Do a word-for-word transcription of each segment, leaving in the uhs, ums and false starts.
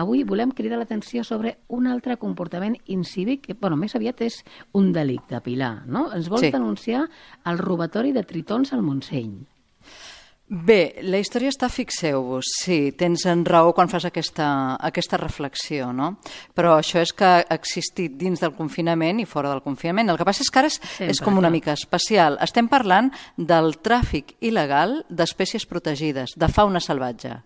avui volem cridar l'atenció sobre un altre comportament incívic, que, bueno, més aviat és un delicte, Pilar, no? Ens vols Sí. denunciar el robatori de tritons al Montseny. Bé, la història està, fixeu-vos, sí, tens en raó quan fas aquesta, aquesta reflexió, no? Però això és que ha existit dins del confinament i fora del confinament. El que passa és que ara és, Sempre, és com una clar. mica especial. Estem parlant del tràfic il·legal d'espècies protegides, de fauna salvatge.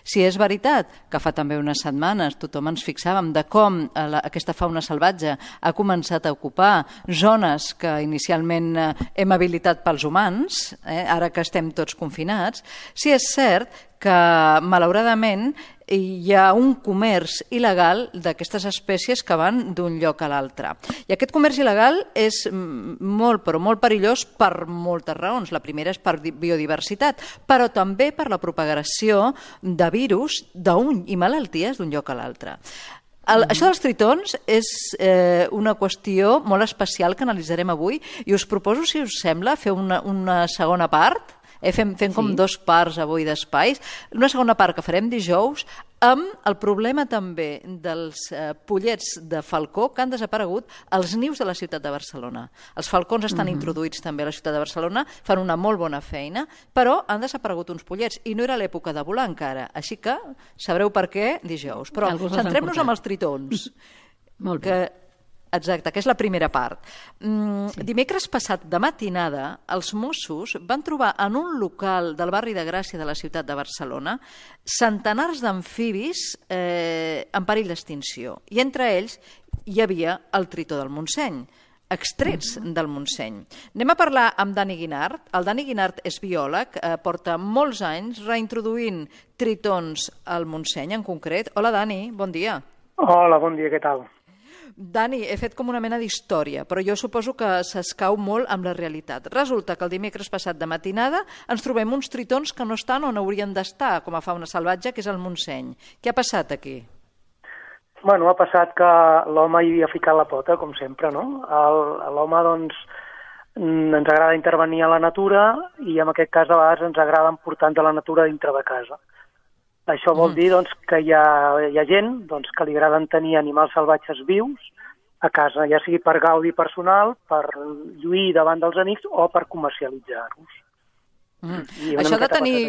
Si és veritat que fa també unes setmanes tothom ens fixàvem de com eh, la, aquesta fauna salvatge ha començat a ocupar zones que inicialment eh, hem habilitat pels humans, eh, ara que estem tots confinats, si és cert que malauradament hi ha un comerç il·legal d'aquestes espècies que van d'un lloc a l'altre. I aquest comerç il·legal és molt, però molt perillós per moltes raons. La primera és per biodiversitat, però també per la propagació de virus d'un i malalties d'un lloc a l'altre. El, mm-hmm. Això dels tritons és eh, una qüestió molt especial que analitzarem avui i us proposo, si us sembla, fer una, una segona part. Eh, fem fem sí. com dos parts avui d'espais. Una segona part que farem dijous amb el problema també dels eh, pollets de falcó que han desaparegut als nius de la ciutat de Barcelona. Els falcons estan mm-hmm. introduïts també a la ciutat de Barcelona, fan una molt bona feina, però han desaparegut uns pollets i no era l'època de volar encara. Així que sabreu per què dijous. Però centrem-nos amb els tritons. Molt bé. Que Exacte, que és la primera part. Mm, sí. Dimecres passat de matinada, els Mossos van trobar en un local del barri de Gràcia de la ciutat de Barcelona centenars d'amfibis eh, en perill d'extinció. I entre ells hi havia el tritó del Montseny, extrets del Montseny. Anem a parlar amb Dani Guinart. El Dani Guinart és biòleg, eh, porta molts anys reintroduint tritons al Montseny en concret. Hola, Dani, bon dia. Hola, bon dia, què tal? Dani, he fet com una mena d'història, però jo suposo que s'escau molt amb la realitat. Resulta que el dimecres passat de matinada ens trobem uns tritons que no estan on haurien d'estar, com a fauna salvatge, que és el Montseny. Què ha passat aquí? Bueno, ha passat que l'home hi havia ficat la pota, com sempre, no? L'home, doncs, ens agrada intervenir a la natura i en aquest cas a vegades ens agrada portar de la natura dintre de casa. Això vol dir doncs, que hi ha, hi ha gent doncs, que li agraden tenir animals salvatges vius a casa, ja sigui per gaudi personal, per lluir davant dels amics o per comercialitzar-los. Mm. Això de tenir,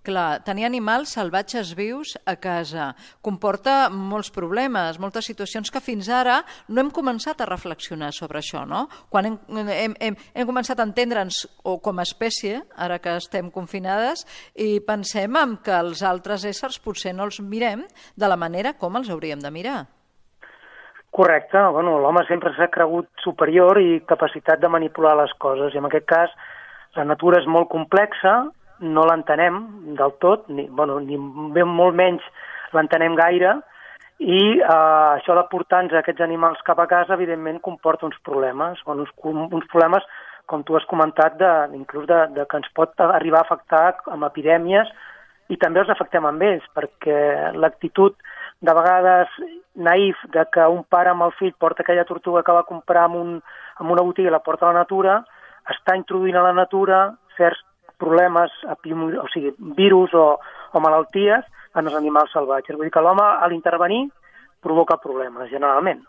clar, tenir animals salvatges vius a casa comporta molts problemes, moltes situacions que fins ara no hem començat a reflexionar sobre això, no? Quan hem, hem, hem, hem començat a entendre'ns o com a espècie, ara que estem confinades, i pensem en que els altres éssers potser no els mirem de la manera com els hauríem de mirar. Correcte. Bueno, l'home sempre s'ha cregut superior i capacitat de manipular les coses, i en aquest cas la natura és molt complexa, no l'entenem del tot, ni, bueno, ni molt menys l'entenem gaire, i eh, això de portar-nos aquests animals cap a casa, evidentment, comporta uns problemes, bueno, uns, uns problemes, com tu has comentat, de, inclús de, de que ens pot arribar a afectar amb epidèmies, i també els afectem amb ells, perquè l'actitud de vegades naïf de que un pare amb el fill porta aquella tortuga que va comprar en, un, en una botiga i la porta a la natura, està introduint a la natura certs problemes, o sigui, virus o, o malalties en els animals salvatges. Vull dir que l'home, a l'intervenir, provoca problemes, generalment.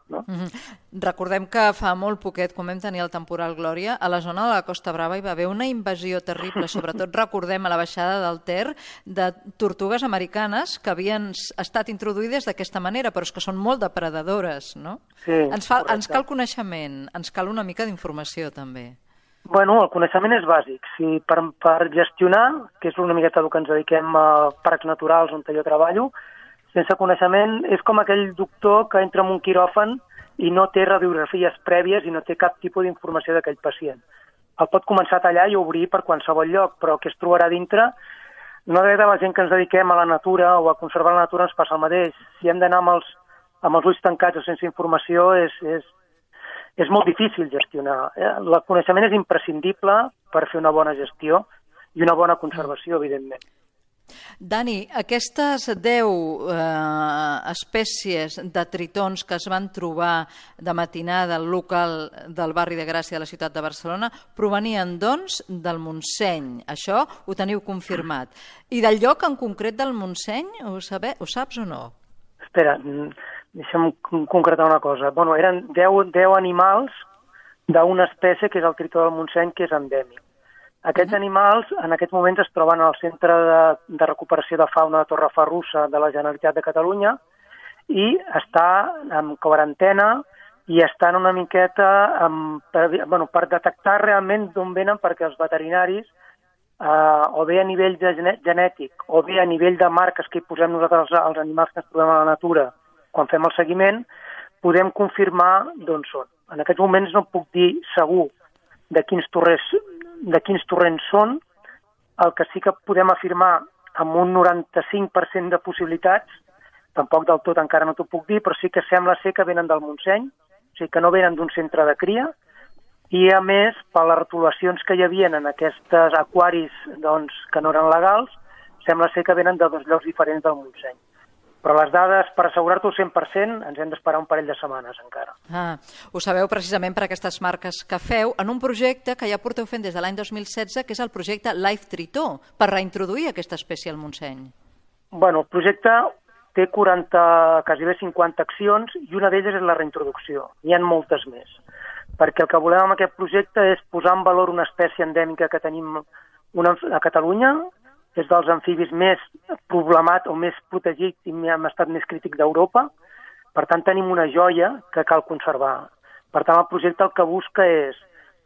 No? Mm-hmm. Recordem que fa molt poquet, quan vam tenir el temporal Glòria, a la zona de la Costa Brava hi va haver una invasió terrible, sobretot recordem a la baixada del Ter, de tortugues americanes que havien estat introduïdes d'aquesta manera, però és que són molt depredadores, no? Sí, ens, fa, ens cal coneixement, ens cal una mica d'informació, també. Bueno, el coneixement és bàsic. Si per, per gestionar, que és una miqueta el que ens dediquem a parcs naturals on jo treballo, sense coneixement és com aquell doctor que entra en un quiròfan i no té radiografies prèvies i no té cap tipus d'informació d'aquell pacient. El pot començar a tallar i obrir per qualsevol lloc, però que es trobarà dintre, no de la gent que ens dediquem a la natura o a conservar la natura ens passa el mateix. Si hem d'anar amb els, amb els ulls tancats o sense informació és... és És molt difícil gestionar. El coneixement és imprescindible per fer una bona gestió i una bona conservació, evidentment. Dani, aquestes deu eh, espècies de tritons que es van trobar de matinada al local del barri de Gràcia de la ciutat de Barcelona provenien, doncs, del Montseny. Això ho teniu confirmat. I del lloc en concret del Montseny, ho, sabe, ho saps o no? espera, deixa'm concretar una cosa. Bueno, eren deu animals d'una espècie que és el tritó del Montseny, que és endèmic. Aquests uh-huh. animals en aquests moments es troben al Centre de, de Recuperació de Fauna de Torrefarrussa de la Generalitat de Catalunya i està en quarantena i estan una miqueta amb, per, bueno, per detectar realment d'on venen, perquè els veterinaris, eh, o bé a nivell de genètic o bé a nivell de marques que hi posem nosaltres als animals que ens trobem a la natura quan fem el seguiment, podem confirmar d'on són. En aquests moments no puc dir segur de quins torrents, de quins torrents són. El que sí que podem afirmar amb un noranta-cinc per cent de possibilitats, tampoc del tot encara no t'ho puc dir, però sí que sembla ser que venen del Montseny, o sigui que no venen d'un centre de cria, i a més, per les retolacions que hi havia en aquests aquaris doncs, que no eren legals, sembla ser que venen de dos llocs diferents del Montseny. Però les dades, per assegurar-t'ho al cent per cent, ens hem d'esperar un parell de setmanes encara. Ah, ho sabeu precisament per aquestes marques que feu en un projecte que ja porteu fent des de l'any dos mil setze, que és el projecte Life Tritó, per reintroduir aquesta espècie al Montseny. Bueno, el projecte té quaranta, quasi bé cinquanta accions, i una d'elles és la reintroducció. N'hi ha moltes més. Perquè el que volem amb aquest projecte és posar en valor una espècie endèmica que tenim una, a Catalunya, és dels amfibis més problemat o més protegit i en estat més crític d'Europa. Per tant, tenim una joia que cal conservar. Per tant, el projecte el que busca és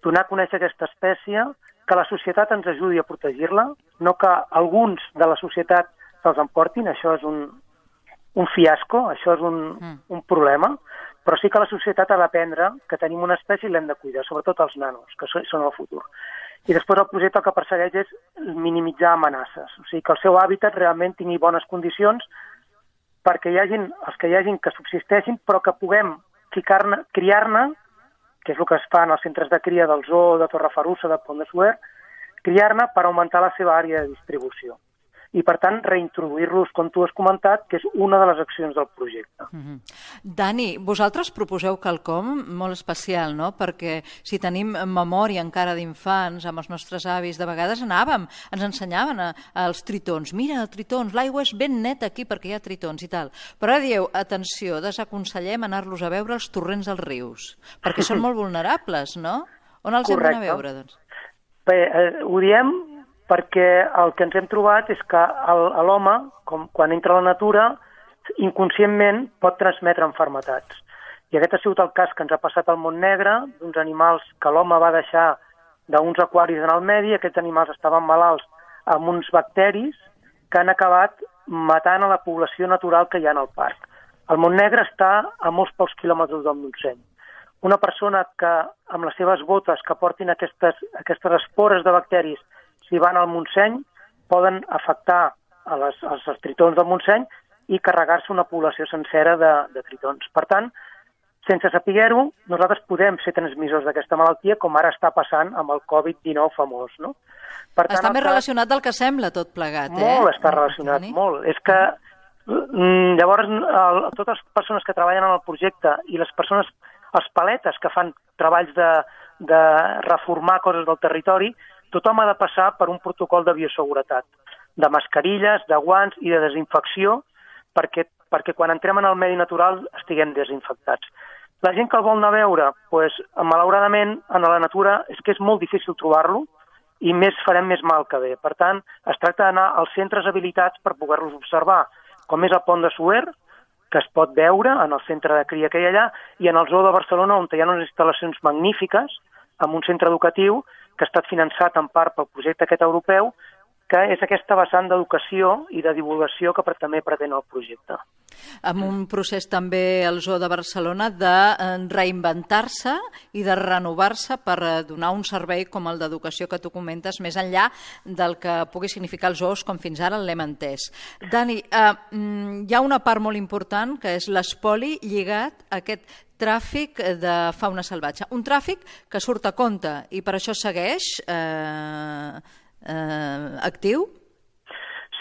donar a conèixer aquesta espècie, que la societat ens ajudi a protegir-la, no que alguns de la societat se'ls emportin, això és un, un fiasco, això és un, mm. un problema, però sí que la societat ha d'aprendre que tenim una espècie i l'hem de cuidar, sobretot els nanos, que són el futur. I després el projecte el que persegueix és minimitzar amenaces, o sigui que el seu hàbitat realment tingui bones condicions perquè hi hagin, els que hi hagin que subsisteixin, però que puguem ficar-ne, criar-ne, que és el que es fa en els centres de cria del Zoo de Torrefarrussa, de Pont de Suert, criar-ne per augmentar la seva àrea de distribució. I, per tant, reintroduir-los, com tu has comentat, que és una de les accions del projecte. Mm-hmm. Dani, vosaltres proposeu quelcom molt especial, no? Perquè si tenim memòria encara d'infants, amb els nostres avis, de vegades anàvem, ens ensenyaven a, als tritons. Mira, tritons, l'aigua és ben neta aquí perquè hi ha tritons i tal. Però ara dieu, atenció, desaconsellem anar-los a veure als torrents dels rius, perquè són molt vulnerables, no? On els Correcte. hem d'anar a veure, doncs? Bé, eh, ho diem perquè el que ens hem trobat és que l'home, quan entra a la natura, inconscientment pot transmetre malalties. I aquest ha sigut el cas que ens ha passat al Montnegre, d'uns animals que l'home va deixar d'uns aquaris en el medi, aquests animals estaven malalts amb uns bacteris que han acabat matant a la població natural que hi ha en el parc. El Montnegre està a molts pocs quilòmetres del Montseny. Una persona que amb les seves botes que portin aquestes, aquestes espores de bacteris, si van al Montseny, poden afectar a les, als tritons del Montseny i carregar-se una població sencera de, de tritons. Per tant, sense saber-ho, nosaltres podem ser transmissors d'aquesta malaltia, com ara està passant amb el covid dinou famós, no? Per tant, està més cas... relacionat del que sembla, tot plegat, eh? Molt està relacionat, Dani? Molt. És que, mm, llavors, el, totes les persones que treballen en el projecte i les persones, els paletes que fan treballs de, de reformar coses del territori, tothom ha de passar per un protocol de bioseguretat, de mascarilles, de guants i de desinfecció, perquè, perquè quan entrem en el medi natural estiguem desinfectats. La gent que el vol anar a veure, doncs, malauradament, en la natura és que és molt difícil trobar-lo i més farem més mal que bé. Per tant, es tracta d'anar als centres habilitats per poder-los observar, com és el Pont de Suert, que es pot veure en el centre de cria que hi ha allà, i en el Zoo de Barcelona, on hi ha unes instal·lacions magnífiques, amb un centre educatiu, que ha estat finançat en part pel projecte aquest europeu, que és aquesta vessant d'educació i de divulgació que també pretén el projecte. Amb un procés també al Zoo de Barcelona de reinventar-se i de renovar-se per donar un servei com el d'educació que tu comentes, més enllà del que pugui significar els zoos com fins ara l'hem entès. Dani, eh, hi ha una part molt important que és l'espoli lligat a aquest tràfic de fauna salvatge. Un tràfic que surt a compte i per això segueix eh, eh, actiu?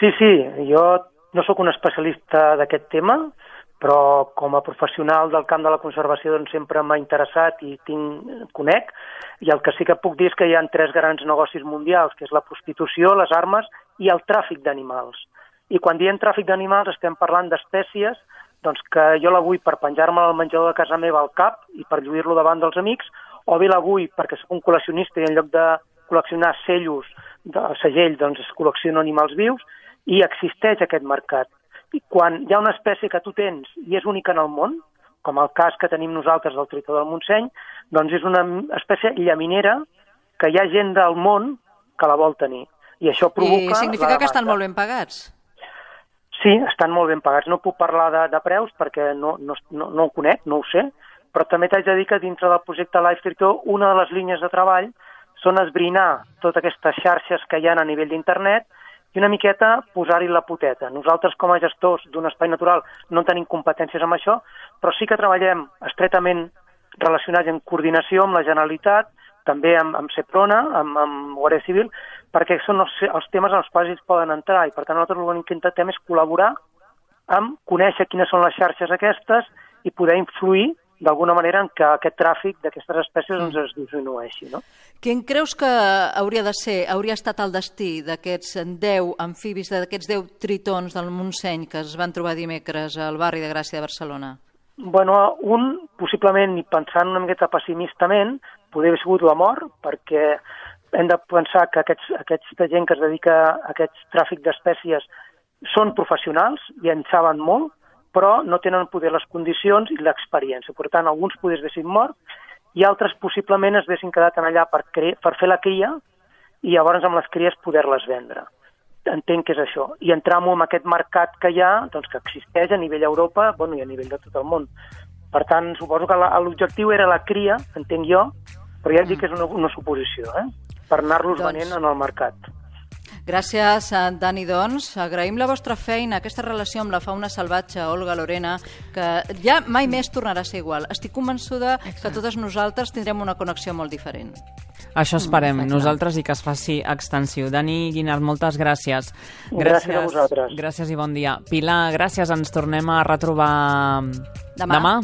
Sí, sí, jo no sóc un especialista d'aquest tema, però com a professional del camp de la conservació doncs sempre m'ha interessat i tinc, conec, i el que sí que puc dir és que hi ha tres grans negocis mundials, que és la prostitució, les armes i el tràfic d'animals. I quan diem tràfic d'animals estem parlant d'espècies doncs que jo la vull per penjar-me al menjador de casa meva al cap i per lluir-lo davant dels amics, o bé la vull perquè soc un col·leccionista i en lloc de col·leccionar cellos, de segell, doncs es col·lecciono animals vius, i existeix aquest mercat. I quan hi ha una espècie que tu tens i és única en el món, com el cas que tenim nosaltres del tritó del Montseny, doncs és una espècie llaminera que hi ha gent del món que la vol tenir. I això provoca... I significa que estan molt ben pagats? Sí, estan molt ben pagats. No puc parlar de, de preus perquè no, no, no, no ho conec, no ho sé, però també t'haig de dir que dintre del projecte Life Tritó una de les línies de treball són esbrinar totes aquestes xarxes que hi ha a nivell d'internet i una miqueta posar-hi la poteta. Nosaltres, com a gestors d'un espai natural, no tenim competències amb això, però sí que treballem estretament relacionats en coordinació amb la Generalitat, també amb, amb Seprona, amb, amb Guàrdia Civil, perquè són els, els temes en els quals ells poden entrar, i per tant nosaltres l'únic que intentem és col·laborar amb conèixer quines són les xarxes aquestes i poder influir d'alguna manera en que aquest tràfic d'aquestes espècies doncs, es disminueixi, no? Quin creus que hauria de ser, hauria estat el destí d'aquests deu amfibis, d'aquests deu tritons del Montseny que es van trobar dimecres al barri de Gràcia de Barcelona? Bueno, un, possiblement, i pensant una miqueta pessimistament, podria haver sigut la mort, perquè hem de pensar que aquests, aquesta gent que es dedica a aquest tràfic d'espècies són professionals i en saben molt, però no tenen poder les condicions i l'experiència. Per tant, alguns poders haguessin mort i altres possiblement es haguessin quedat allà per, cre... per fer la cria i llavors amb les cries poder-les vendre. Entenc que és això. I entrar-m'ho en aquest mercat que hi ha, doncs que existeix a nivell Europa, bueno, i a nivell de tot el món. Per tant, suposo que l'objectiu era la cria, entenc jo, però ja et dic que és una, una suposició, eh? Per anar-los doncs... venent en el mercat. Gràcies, Dani, doncs. Agraïm la vostra feina, aquesta relació amb la fauna salvatge, Olga, Lorena, que ja mai més tornarà a ser igual. Estic convençuda Exacte. que totes nosaltres tindrem una connexió molt diferent. Això esperem, mm, nosaltres, i que es faci extensiu. Dani Guinart, moltes gràcies. Gràcies. Gràcies a vosaltres. Gràcies i bon dia. Pilar, gràcies, ens tornem a retrobar demà. demà.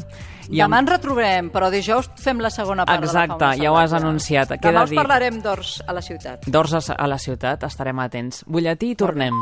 I Demà amb... ens retrobem, però dijous fem la segona part Exacte, de la fauna salvatge. Ja ho has anunciat. Demà us parlarem d'ors a la ciutat. D'ors a la ciutat, estarem atents. Butlletí i tornem.